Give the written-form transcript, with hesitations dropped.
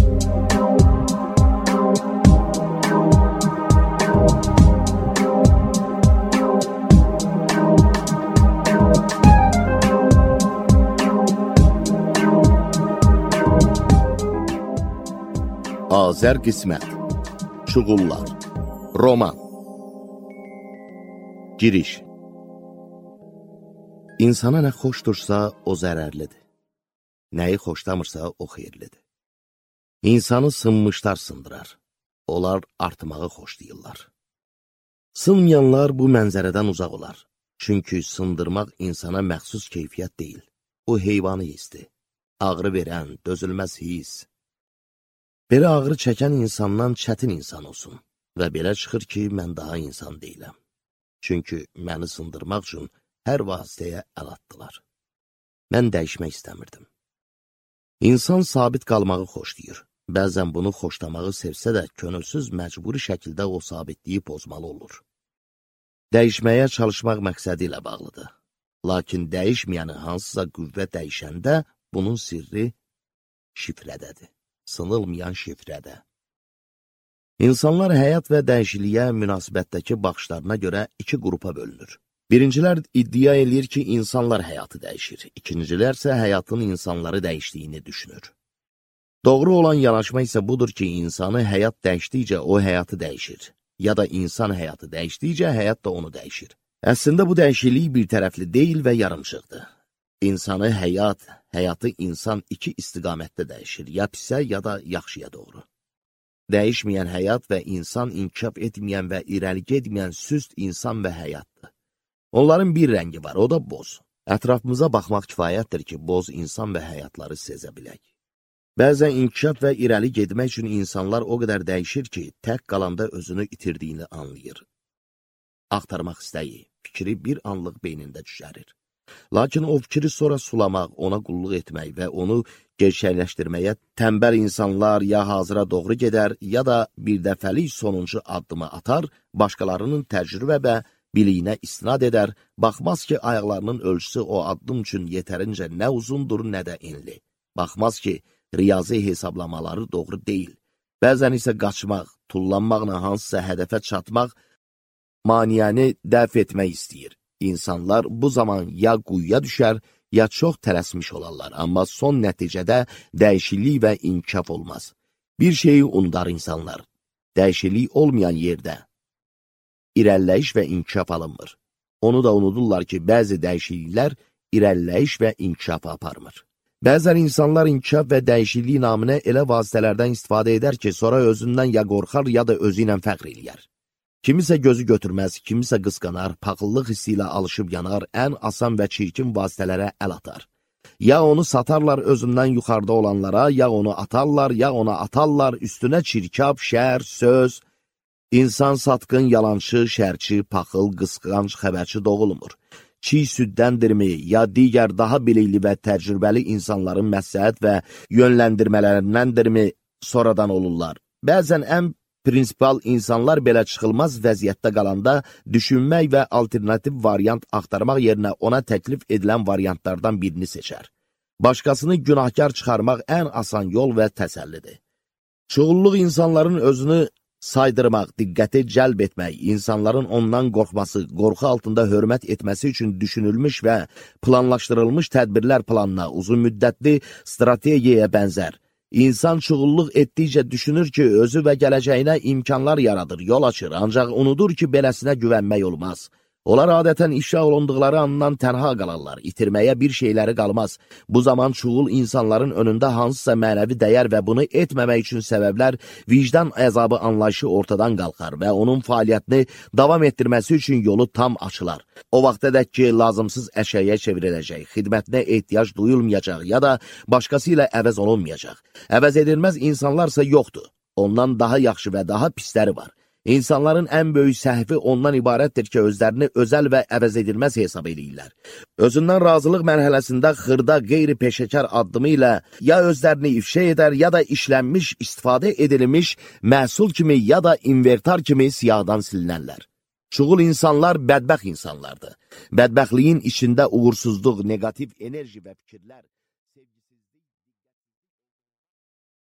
Azər qismət, Çuğullar, Roman. Giriş. İnsana nə xoşdursa, o zərərlidir. Nəyi xoşlamırsa, o xeyirlidir. İnsanı sınmışlar sındırar. Onlar artmağı xoşlayırlar. Sınmayanlar bu mənzərədən uzaq olar. Çünki sındırmaq insana məxsus keyfiyyət deyil. Bu heyvani hisdir. Ağrı verən, dözülməz his. Belə ağrı çəkən insandan çətin insan olsun və belə çıxır ki, mən daha insan deyiləm. Çünki məni sındırmaq üçün hər vasitəyə əl atdılar. Mən dəyişmək istəmirdim. İnsan sabit qalmağı xoşlayır. Bəzən bunu xoşlamağı sevsə də, könülsüz məcburi şəkildə o sabitliyi pozmalı olur. Dəyişməyə çalışmaq məqsədi ilə bağlıdır. Lakin dəyişməyəni hansısa qüvvə dəyişəndə, bunun sirri şifrədədir. Sınılmayan şifrədə. İnsanlar həyat və dəyişikliyə münasibətdəki baxışlarına görə iki qrupa bölünür. Birincilər iddia edir ki, insanlar həyatı dəyişir. İkincilər isə həyatın insanları dəyişdiyini düşünür. Doğru olan yanaşma isə budur ki, insanı həyat dəyişdikcə o həyatı dəyişir. Ya da insan həyatı dəyişdikcə həyat da onu dəyişir. Əslində bu dəyişiklik bir tərəfli deyil və yarımçıqdır. İnsanı həyatı insan iki istiqamətdə dəyişir, ya pisə, ya da yaxşıya doğru. Dəyişməyən həyat və insan inkişaf etməyən və irəli getməyən süst insan və həyatdır. Onların bir rəngi var, o da boz. Ətrafımıza baxmaq kifayətdir ki, boz insan və həyatları sezə bilək. Bəzən inkişaf və irəli getmək üçün insanlar o qədər dəyişir ki, tək qalanda özünü itirdiyini anlayır. Axtarmaq istəyi, fikri bir anlıq beynində düşərir. Lakin o fikri sonra sulamaq, ona qulluq etmək və onu gerçəkləşdirməyə tənbəl insanlar ya hazıra doğru gedər, ya da bir dəfəlik sonuncu addımı atar, başqalarının təcrübə və biliyinə istinad edər, baxmaz ki, ayaqlarının ölçüsü o addım üçün yetərincə nə uzundur, nə də enli. Baxmaz ki, riyazi hesablamaları doğru deyil. Bəzən isə qaçmaq, tullanmaqla hansısa hədəfə çatmaq, maniyəni dəf etmək istəyir. İnsanlar bu zaman ya quyuya düşər, ya çox tələsmiş olarlar, amma son nəticədə dəyişiklik və inkişaf olmaz. Bir şeyi unudar insanlar. Dəyişiklik olmayan yerdə irəliləyiş və inkişaf alınmır. Onu da unudurlar ki, bəzi dəyişikliklər irəliləyiş və inkişaf aparmır. Bəzən insanlar inkişaf və dəyişiklik naminə elə vasitələrdən istifadə edər ki, sonra özündən ya qorxar, ya da özü ilə fəxr eləyər. Kimisə gözü götürməz, kimisə qısqanar, paxıllıq hissi ilə alışıb yanar, ən asan və çirkin vasitələrə əl atar. Ya onu satarlar özündən yuxarıda olanlara, ya onu atarlar, ya ona atarlar, üstünə çirkab, şər, söz. İnsan satqın, yalançı, şərçi, paxıl, qısqanc, xəbərçi doğulmur. Çiğ süddəndirmi, ya digər daha bilikli və təcrübəli insanların məsləhət və yönləndirmələrindəndirmi sonradan olurlar. Bəzən ən prinsipal insanlar belə çıxılmaz vəziyyətdə qalanda düşünmək və alternativ variant axtarmaq yerinə ona təklif edilən variantlardan birini seçər. Başqasını günahkar çıxarmaq ən asan yol və təsəllidir. Çoxulluq insanların özünü saydırmaq, diqqəti cəlb etmək, insanların ondan qorxması, qorxu altında hörmət etməsi üçün düşünülmüş və planlaşdırılmış tədbirlər planına, uzun müddətli strategiyaya bənzər. İnsan çuğulluq etdikcə düşünür ki, özü və gələcəyinə imkanlar yaradır, yol açır, ancaq unudur ki, beləsinə güvənmək olmaz. Onlar adətən ifşa olunduqları andan tənha qalarlar, itirməyə bir şeyləri qalmaz. Bu zaman çuğul insanların önündə hansısa mənəvi dəyər və bunu etməmək üçün səbəblər, vicdan əzabı anlayışı ortadan qalxar və onun fəaliyyətini davam etdirməsi üçün yolu tam açılar. O vaxtadək ki, lazımsız əşyaya çevriləcək, xidmətinə ehtiyac duyulmayacaq ya da başqası ilə əvəz olunmayacaq. Əvəz edilməz insanlarsa yoxdur. Ondan daha yaxşı və daha pisləri var. İnsanların ən böyük səhvi ondan ibarətdir ki, özlərini özəl və əvəz edilməz hesab edirlər. Özündən razılıq mərhələsində xırda qeyri-peşəkar addımı ilə ya özlərini ifşa edər, ya da işlənmiş, istifadə edilmiş məhsul kimi ya da inventar kimi siyahdan silinərlər. Çoxul insanlar bədbəxt insanlardır. Bədbəxtliyin içində uğursuzluq, negativ enerji və fikirlər